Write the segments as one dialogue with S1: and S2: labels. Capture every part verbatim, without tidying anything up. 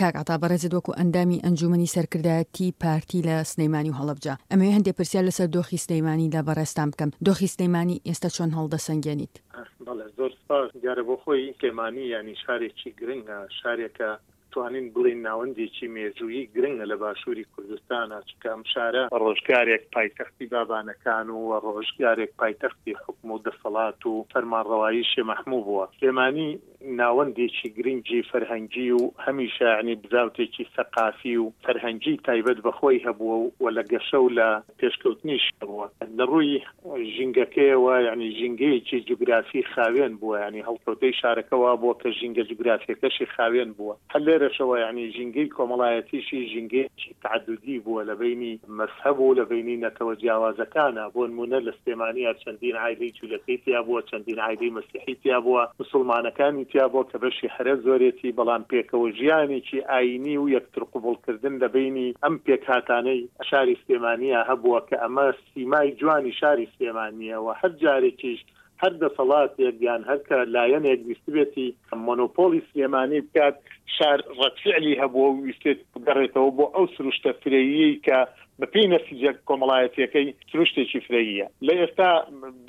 S1: کاک عەتا بەڕێزت وەکو ئەندامی ئەنجومەنی سەرکردایەتی پارتی لە سلەیمانی و هەڵەبجە، ئەمەوێ هەندێ پرسیار لەسەر دۆخی سلەیمانی لە بەڕێزتان بکەم. دۆخی سلەیمانی ئێستا چۆن هەڵدەسەنگێنیت؟
S2: بەڵێ زۆر سپاس. دیارە بۆ خۆی سلێمانی یانی شارێکی گرنگە، شارێکە توانین بڵێین ناوەندێکی مێژوویی گرنگە لە باشووری کوردستانە، چونکە ئەم شارە ڕۆژگارێک پایتەختی بابانەکان و ڕۆژگارێک پایتەختی حوکم و دەسەڵات و فەرمانڕەوایی شێ مەحموو بووە. سلێمانی ناوەندێکی گرنگی فەرهەنگی و هەمیشە یانی بزاوتێکی سەقافی و فەرهەنگی تایبەت بە خۆی هەبووە و لە گەشە و لە پێشکەوتنیش هەبووە. لە ڕووی ژینگەکەیەوە یانی ژینگەیەکی جوگرافی خاوێن بووە، یانی هەڵکەوتەی شارەکە وا بووە کە ژینگە جوگرافیەکەشی خاوێن بووە. هەر لێرەشەوە یانی ژینگەی کۆمەڵایەتیشی ژینگەیەکی تەعەدودی بووە لە بەینی مەزهەب و لە بەینی نەتەوە جیاوازەکانا. بۆ نموونە لە سلێمانیا چەندین عایلەی جوولەکەی تیا بووە، چەندین عایلەی مەسیحی تیا بووە، موسوڵمانەکانی تیا بووە کە بەشی هەرە زۆرێتی، بەڵام پێکەوە ژیانێکی ئایینی و یەکتر قبوڵکردن لە بەینی ئەم پێکهاتانەی شاری سلێمانیا هەبووە کە ئەمە سیمای جوانی شاری سلێمانییە و هەر جارێکیش هەر دەسەڵاتێک یان هەر کە لایەنێک ویستبێتی مۆنۆپۆڵی سلێمانی بکات، شار ڕەدفعلی هەبووە و ویستێتی بگەڕێتەوە بۆ ئەو سروشتە فرەییەی کە بەپێی نەسیجە کۆمەڵایەتییەکەی سروشتێکی فرەییە. لە ئێستا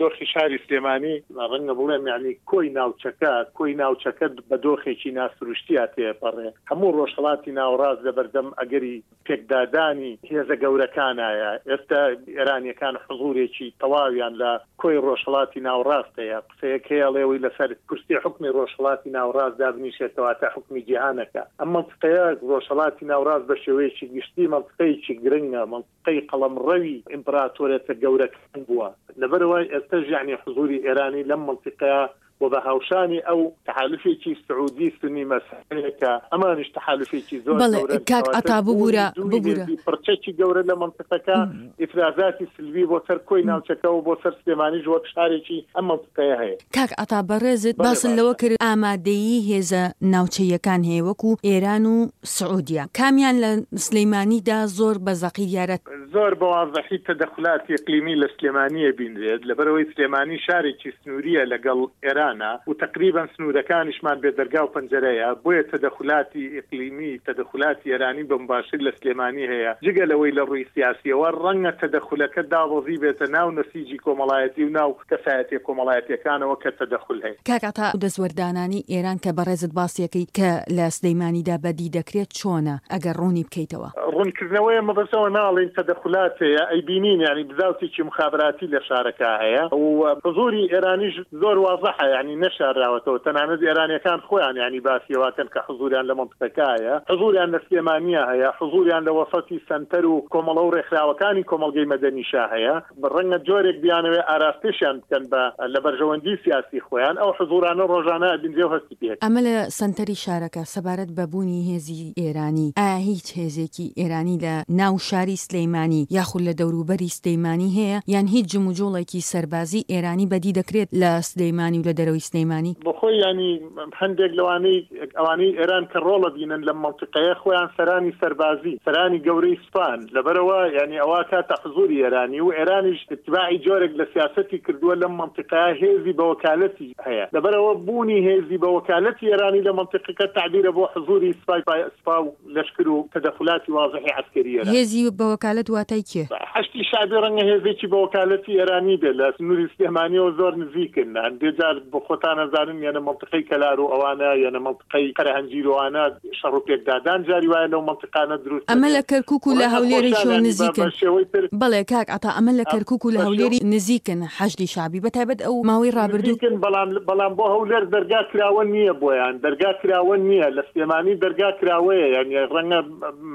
S2: دۆخی شاری سلێمانی، ڕەنگە بڵێم یانی کۆی ناوچەکە کۆی ناوچەکە بە دۆخێکی ناسروشتیا تێپەڕێ، هەموو ڕۆژهەڵاتی ناوەڕاست لەبەردەم ئەگەری پێکدادانی هێزە گەورەکانایە. ئێستا ئێرانییەکان حزوورێکی تەواویان لە کۆی ڕۆژهەڵاتی ناوەڕاست هەیە. قسەیەک هەیە ئەڵێ ئەوەی لەسەر کورسی حوکمی ڕۆژهەڵاتی ناوەڕاست دابنیشێت کەواتە حوکمی جیهانەکە. ئەم مەنتقەیە ڕۆژهەڵاتی ناوەڕاست بە شێوەیەکی گشتی مەنتقەیەکی گرنگە، مەنتقەی قەڵەمڕەوی ئیمپراتۆرێتە گەورەکان بووە. لەبەرئەوە ئێستەش یەعنی حزووری ئێرانی لەم مەنتیقەیە و بە هاوشانی ئەو تەحالوفێکی سعودی سونی مەزهەبەیە کە ئەمانیش تەحالوفێکی زۆر
S1: بەڵێ
S2: گەورەن،
S1: کاک
S2: کەواتە
S1: عەتا
S2: بوونی
S1: ببورە
S2: دوو
S1: ببورە.
S2: هێزی پڕچەکی گەورە لە مەنتیقەکە ئیفرازاتی سلبی بۆ سەر کۆی ناوچەکە و بۆ سەر سلێمانیش وەک شارێکی ئەم مەنتیقەیە هەیە.
S1: کاک عەتا بەڕێزت
S2: بەڵێ
S1: باست لەوە
S2: باشە.
S1: کرد ئامادەیی هێزە ناوچەییەکان هەیە وەکو ئێران و سعودیە کامیان لە سلیمانیدا زۆر بە زەقی دیارە؟
S2: زۆر بە وازحی تەدەخولاتی ئیقلیمی لە سلێمانییە بینرێت، لەبەرئەوەی سلێمانی شارێکی سنوورییە لەگەڵ ئێرانە و تەقریبەن سنوورەکانیشمان بێ دەرگا و پەنجەرەیە، بۆیە تەدەخولاتی ئیقلیمی، تەدەخولاتی ئێرانی بە مباشر لە سلێمانی هەیە، جگە لەوەی لە ڕووی سیاسییەوە ڕەنگە تەدەخولەکە دابەزیبێتە ناو نەسیجی کۆمەڵایەتی و ناو کەسایەتیە کۆمەڵایەتیەکانەوە کە تەدەخول هەیە.
S1: کاک عەتا ئەو دەستوەردانانەی ئێران کە بەڕێزت باسیەکەی کە لە سلەیمانیدا بەدی دەکرێت چۆنە ئەگەر ڕوونی بکەیتەوە؟
S2: ڕوونکردنەوەیە مەبەستەوە ناڵێین تەدەخولات هەیە، ئەیبینین یانی بزاوتێکی موخابراتی لە شارەکە هەیە و حزوری ئێرانیش زۆر وازحە یانی نەشارراوەتەوە، تەنانەت ئێرانیەکان خۆیان یانی باسی ئەوەکەن کە حزوریان لە مەنتقەکە هەیە، حزوریان لە سلێمانیە هەیە، حزوریان لە وەسەتی سەنتەر و کۆمەڵە و ڕێکخراوەکانی کۆمەڵگەی مەدەنیشا هەیە، ڕەنگە جۆرێک بیانەوێ ئاراستەشیان بکەن بە لە بەرژەوەندی سیاسی خۆیان، ئەو حزوورانە ڕۆژانە ئەبینرێ و هەستی پێ.
S1: ئەمە لە سەنتەری شارەکە. سەبارەت بە بوونی هێزی ئێرانی، ئایا هیچ هێزێکی ئێرانی لە ناو شاری سلەیمانی یاخود لە دەوروبەری سلەیمانی هەیە یان هیچ جموجوڵێکی سەربازی ئێرانی بەدی دەکرێت لە سلەیمانی و لە دەرەوەی سلەیمانی؟
S2: بۆ خۆی یانی هەندێک لەوانەی ئەوانەی ئێران کە ڕۆڵ ئەبینن لەم مەنتیقەیە خۆیان سەرانی سەربازی، سەرانی گەورەی سوپان، لەبەرئەوە یانی ئەوە کاتە حزوری ئێرانی و ئێرانیش ئیتباعی جۆرێک لە سیاسەتی کردووە لەم مەنتیقەیە هێزی بە وەکالەتی هەیە، لەبەرئەوە بوونی هێزی بە وەکالەتی ئێرانی لە مەنتیقەکە تەعبیرە بۆ حزوری سوپای سوپا و لەشکر و تەدەخولاتی وازحی عەسکەری ئێرانی.
S1: هێزی بە وەکالەت واتای کێ؟
S2: حەشدی شەعبی ڕەنگە هێزێکی بە وەکالەتی ئێرانی بێت، لە سنووری سلێمانیەوە زۆر نزیکن، هەندێ جار بۆ خۆتان ئەزانن یەنە مەنتیقەی کەلار و ئەوانە یەنە مەنتیقەی قەرەهەنجیر و ئەوانە شەڕ و پێکدادان جاری وایە لەو مەنتیقانە دروست
S1: ئەمە
S2: دەبێت
S1: لە کەرکوک و لە
S2: ڕەنگە
S1: هەولێریشەوە
S2: خۆشیان یانی بە
S1: نزیکن.
S2: بە شێوەی تر
S1: بەڵێ کاک عەتا ئەمە لە کەرکوک و لە
S2: بە شێوەی
S1: هەولێری نزیکن حەشدی شەعبی بە تایبەت ئەو ماوەی ڕابردوو.
S2: نزیکن بەڵام بەڵام بۆ هەولێر دەرگا کراوە نییە بۆیان دەرگا کراوە نییە لە سلێمانی دەرگا کراوەیە یانی ڕەنگە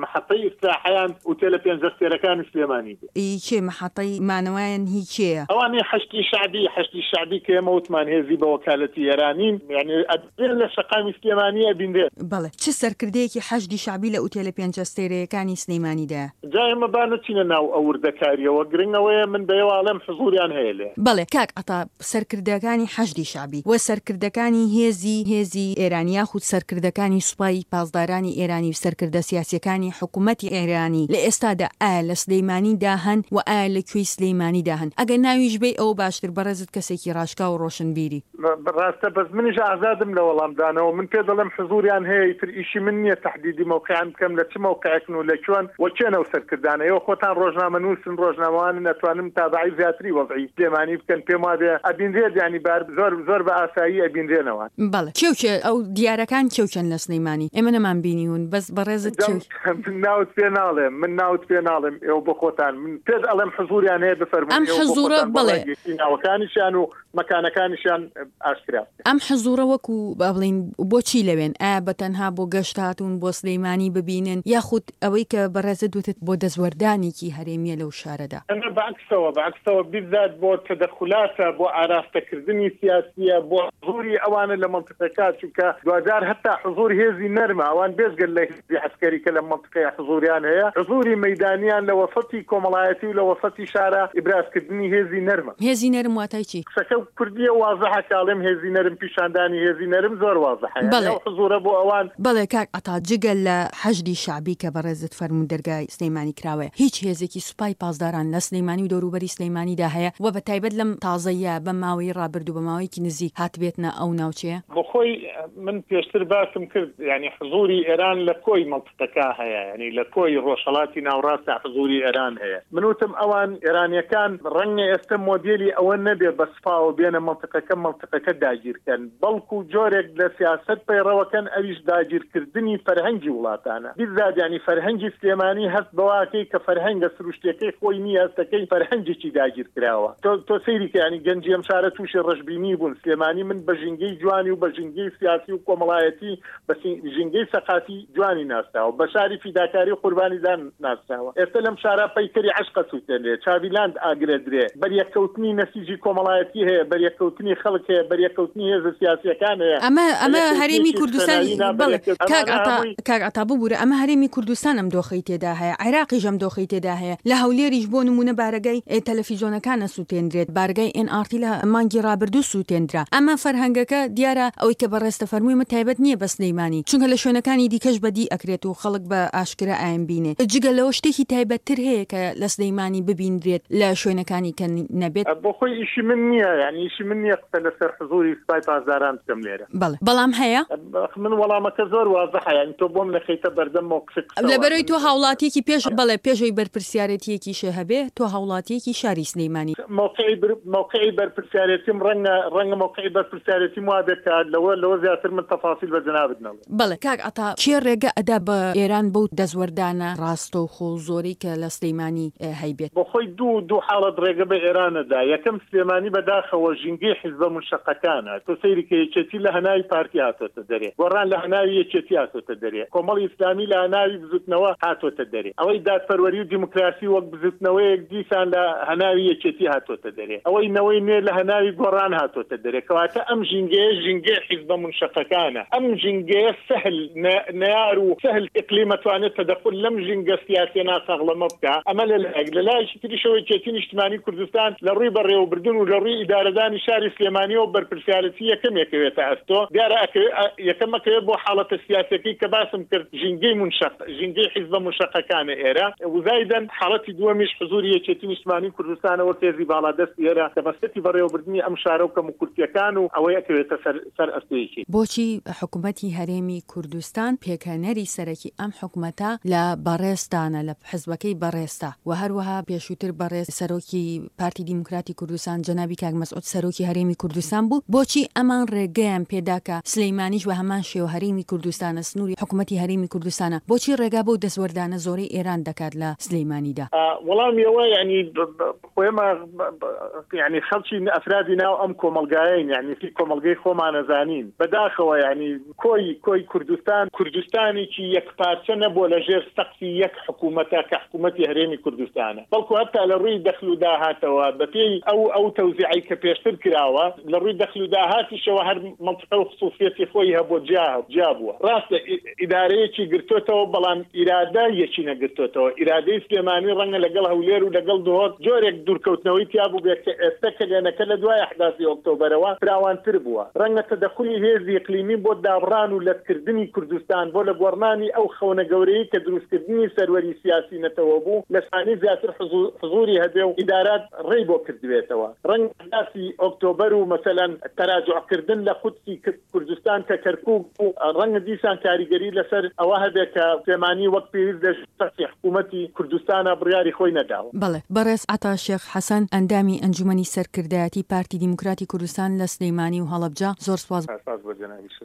S2: محەتەی ئیستراحەیان ئوتێلە پێنج ئەستێرەکانی سلێمانی بێ.
S1: ئی کێ محەتەی مانەوەیان هی کێیە؟
S2: ئەوانەی حەشدی شەعبی حەشدی شەعبی کە ئێمە وتمان هێزی بە وەکالەتی ئێرانین یانی ئەبێ لە شەقامی سلێمانی ئەبینرێت.
S1: بەڵێ چ سەرکردەیەکی حەشدی شەعبی لە ئوتێلە پێنج ئەستێرەیەکانی سلەیمانیدایە؟
S2: جا ئێمە با نەچینە ناو ئەو وردەکارییەوە، گرنگ ئەوەیە من بە ئێوە ئەڵێم حزوریان هەیە لێ.
S1: بەڵێ کاک عەتا سەرکردەکانی حەشدی شەعبی و سەرکردەکانی هێزی هێزی ئێرانی یاخود سەرکردەکانی سوپای پاسدارانی ئێرانی و سەرکردە سیاسیەکانی حکومەتی ئێرانی لە ئێستادا ئایا لە سلەیمانیدا هەن و ئایا لە کوێی سلەیمانیدا هەن؟ ئەگەر ناویش بێی ئەوە باشتر، بەڕێزت کەسێکی ڕاشکاو و ڕۆشنبیری.
S2: ڕاستە بەس منیش ئازادم لە وەڵامدانەوە، من پێ دەڵێم حزوریان هەیە، ئیتر ئیشی من نییە تەحدیدی مەوقعیان بکەم لە چ مەوقعێکن و لە کوێن و کێن ئەو سەرکردانە. ئێوە خۆتان ڕۆژنامەنووسن، ڕۆژنامەوانن، ئەتوانن متابەعەی زیاتری وەزعی سلێمانی بکەن، پێم وابێ ئەبینرێت، یانی بار زۆر زۆر بە ئاسایی ئەبینرێنەوە.
S1: بەڵێ کێ و کێ ئەو دیارەکان کێ و کێن لە سلەیمانی؟ ئێمە نەمان بینیون بەس بەڕێزت کێ و.
S2: من ناوت پێ ناڵێم، من ناوت پێ ناڵێم، ئێوە بۆ خۆتان، من پێت ئەڵێم حزوریان هەیە بفەرموون
S1: ئەم
S2: ئێوە بۆ
S1: حزوڕە
S2: خۆتان بە
S1: بەڵێ.
S2: ڕای گشتی ناوەکانیشیان و مەکانەکانیشیان ئاشکرا بکەن.
S1: ئەم حزوڕە وەکو با بڵێین بۆچی لەوێن؟ ئایا بە تەنها بۆ گەشت هاتوون بۆ سلەیمانی ببینن یاخود ئەوەی کە بەڕێزت وتت بۆ دەستوەردانێکی هەرێمییە لەو شارەدا؟
S2: نا بە عەکسەوە، بە عەکسەوە بیزات بۆ تەدەخولاتە، بۆ ئاراستەکردنی سیاسییە، بۆ حزوری ئەوانە لە مەنتیقەکە، چونکە دواجار هەتا حزور هێزی نەرمە، ئەوان بێجگە لە هێزی عەسکەری کە لەم مەنتیقەیە حزوریان هەیە، حزوری مەیدانیان لە وەسەتی کۆمەڵایەتی و لە وەسەتی شارە ئیبرازکردنی هێزی نەرمە.
S1: هێزی نەرم واتای چی؟
S2: قسەکە کوردیە وازحە کە ئەڵێم هێزی نەرم، پیشاندانی هێزی نەرم زۆر وازحە، یانی
S1: بەڵێ.
S2: ئەو حزورە بۆ ئەوان.
S1: بەڵێ کاک عەتا، جگە لە حەشدی شەعبی کە بەڕێزت فەرموو دەرگای سلەیمانی کراوەیە، هیچ هێزێکی سوپای پاسداران لە سلەیمانی و دەوروبەری سلەیمانیدا هەیە و بە تایبەت لەم تازەیە بەم ماوەی ڕابردوو بە ماوەیەکی نزیک هاتبێتنە ئەو ناوچەیە؟
S2: بۆ خۆی من پێشتر باسم کرد، یانی حزوری ئێران لە کۆی مەنتقەکە هەیە، یانی لە کۆی ڕۆژهەڵاتی ناوەڕاستدا حزوری ئێران هەیە. من وتم ئەوان ئێرانیەکان ڕەنگە ئێستا مۆدێلی ئەوە نەبێ بە سوپاوە بێنە مەنتقەکە مەنتقەکە داگیرکەن، بەڵکو جۆرێک لە سیاسەت پەیڕەوەکەن ئەویش داگیرکردنی فەرهەنگی وڵاتانە. بیزات یانی فەرهەنگی سلێمانی هەست بەواکەی کە فەرهەنگە سروشتیەکەی خۆی نییە، هەستەکەی فەرهەنگێکی داگیر کراوە. تۆ تۆ سەیری کە یانی گەنجی ئەم شارە تووشی ڕەشبینی بوون. سلێمانی من بە ژینگەی جوانی و بە ژینگەی سیاسی و کۆمەڵایەتی بە ژینگەی سەقافی جوانی ناسراوە، بە شاری فیداکاری و قوربانیدان ناسراوە. ئێستا لەم شارە پەیکەری عەشقە سووتێنرێ، چاویلاند ئاگرە درێ، بەریەککەوتنی نەسیجی کۆمەڵایەتی هەیە، بەریەککەوتنی خەڵک هەیە، بەریەککەوتنی هێزە سیاسیەکان هەیە،
S1: ئەمە ئەمە هەرێمی
S2: بەریەککەوتنێکی
S1: کوردستان
S2: خوێناوی نا،
S1: بەڵێ
S2: بەریەککەوت
S1: کاک
S2: ئەمانە
S1: عەتا
S2: هەمووی
S1: کاک عەتا ببوورە، ئەمە هەرێمی کوردستان ئەم دۆخەی تێدا هەیە، عێراقیش ئەم دۆخەی تێدا هەیە، لە هەولێریش بۆ نمونە بارەگای تەلەفیزیۆنەکان ئەسووتێنرێت، بارگای ئێن ئاڕ تی لە مانگی ڕابردوو سووتێندرا. ئەمە فەرهەنگەکە دیارە ئەوەی کە بەڕێزتە فەرمووی ئەمە تایبەت نییە بە سلەیمانی، چونکە لە شوێنەکانی دیکەش بەدی ئەکرێت و خەڵک بە ئاشکرا ئایم بینێ. جگە لەوە شتێکی تایبەتتر هەیە کە لە سلەیمانی ببینرێت لە شوێنەکانی کە نەبێت؟
S2: بۆ خۆی ئیشی من نییە، یانی ئیشی من نییە قسە لەسەر حزوری سوپای پاسداران بکەم لێرە.
S1: بەڵێ بەڵام هەیە؟
S2: من وەڵامەکە زۆر وازحە، یانی تۆ بۆم نەخەیتە بەردەم مەوقفی قسەوە.
S1: لەبەرەوەی
S2: من
S1: تۆ هاوڵاتیەکی پێش بەڵێ پێشەوەی بەرپرسیارێتیەکیشە هەبێ، تۆ هاوڵاتیەکی شاری سلەیمانی.
S2: مەوقعی مەوقعی بەرپرسیارێتیم ڕەنگە ڕەنگە مەوقعی بەرپرسیارێتیم وابێت کە لەوە لەوە زیاتر من تەفاسیل بە جەنابت نەڵێم.
S1: بەڵێ کاک عەتا، کێ ڕێگە ئەدا بە ئێران بەو دەستوەردانە ڕاستەوخۆ و زۆرەی کە لە سلەیمانی هەیبێت؟
S2: بۆ خۆی دوو دوو حاڵەت ڕێگە بە ئێران ئەدا. یەکەم سلێمانی بەداخەوە ژینگەی حیزبە مونشەقەکانە. تۆ سەیری کە یەکێتی لە هەناوی پارتی هاتۆتە دەرێ، گۆڕان لە هەناوی یەکێتی هاتۆتە دەرێ، کۆمەڵی ئیسلامی لە هەناوی بزوتنەوە هاتۆتە دەرێ، ئەوەی دادپەروەری و دیموکراسی وەک بزوتنەوەیەک دیسان لە هەناوی یەکێتی هاتۆتە دەرێ، ئەوەی نەوەی نوێ لە هەناوی گۆڕان هاتۆتە دەرێ. کەواتە ئەم ژینگەیە ژینگەی حیزبە مونشەقەکانە. ئەم ژینگەیە سەهل نەیار و سەهل ئیقلیمە توانێت تەدەخول لەم ژینگە سیاسیە ناساغڵەمە بکا. ئەمە لەلایەک، لەلایەکی تریشەوە یەکێتی نیشتمانی کوردستان لە ڕووی بەڕێوەبردن و لە ڕووی ئیدارەدانی شاری سلێمانیەوە بەرپرسیارەتی یەکەم یەکەوێتە ئەستۆ. دیارە یەکەم ئەکەوێت بۆ حاڵەتە سیاسیەکەی کە باسم کرد، ژینگەی مونشەق، ژینگەی حیزبە مونشەقەکانە ئێرە. وزایدەن حاڵەتی دووەمیش حزوری یەکێتی نیشتمانی کوردستانە وەک هێزی باڵادەستی ئێرە کە مەسەتی بەڕێوەبردنی ئەم شارە و کەموکورتیەکان و ئەوەی ئەکەوێتە سەر سەر ئەستۆیەکی.
S1: بۆچی حکوومەتی هەرێمی کوردستان پێکهێنەری سەرەکی ئەم حکوومەتە لە بەڕێزتانە، لە حزبەکەی بەڕێزتا و هەروەها پێشووتر بەڕێز سەرۆکی پارتی دیموکراتی کوردستان جەنابی کاک مەسعود سەرۆکی هەرێمی کوردستان بوو، بۆچی ئەمان ڕێگەیان پێدا کە سلەیمانیش بە هەمان شێوە هەرێمی کوردستانە، سنووری حکوومەتی هەرێمی کوردستانە، بۆچی ڕێگا بەو دەستوەردانە زۆرەی ئێران دەکات لە سلەیمانیدا؟
S2: وەڵامیەوە یعنی خۆێمە یعنی خەڵکی ئەفرادی ناو ئەم کۆمەڵگایین، یعنی کۆمەڵگەی خۆمانەزانین. بەداخەوە یعنی کۆی کۆی کوردستان کوردستانێکی یەک پارچە نەبووە لە ژێر سەقفی یەک حکوومەتە کە حکوومەتی هەرێمی کوردستانە، بەڵکو هەتا لە ڕووی دەخل و داهاتەوە بەپێی ئەو ئەو تەوزیعی کە پێشتر کراوە، لە ڕووی دەخل و داهاتیشەوە هەر مەنتیقە و خسووسیەتی خۆی هەبووە، جیا جیا بووە. ڕاستە ئیدارەیەکی گرتۆتەوە، بەڵام ئیرادە یەکی نەگرتۆتەوە. ئیرادەی سلێمانی ڕەنگە لەگەڵ هەولێر و لەگەڵ دهۆک جۆرێک دوورکەوتنەوەی تیا بووبێت کە ئێستە کەلێنەکە لە دوای ئەحداسی ئۆکتۆبەرەوە فراوانتر بووە. ڕەنگە تەدەخولی هێزی ئیقلیمی بۆ دابڕان و لەتکردنی کوردستان، بۆ لەگۆڕنانی ئەو خەونە گەورەی کە دروستکردنی سەروەری سیاسی نەتەوە بوو، لە سلێمانی زیاتر حزووری هەبێ و ئیدارات ڕێی بۆ کردبێتەوە. ڕەنگە ئەحداسی ئۆکتۆبەر و مەسەلەن تەراجوعکردن لە قودسی کوردستان کە کەرکووک بوو، ڕەنگە دیسان کاریگەری لەسەر ئەوە هەبێ کە سلێمانی وەک پێویست لە ژێر سەقفی حکوومەتی کوردستانا بڕیاری خۆی نەداوە.
S1: بەڵێ. بەڕێز عەتا شێخ حەسەن، ئەندامی ئەنجومەنی سەرکردایەتی پارتی دیموکراتی کوردستان لە سلیمانی و هەڵەبجە، زۆر سوپاس.
S2: سپاس بۆ جەنابیشت.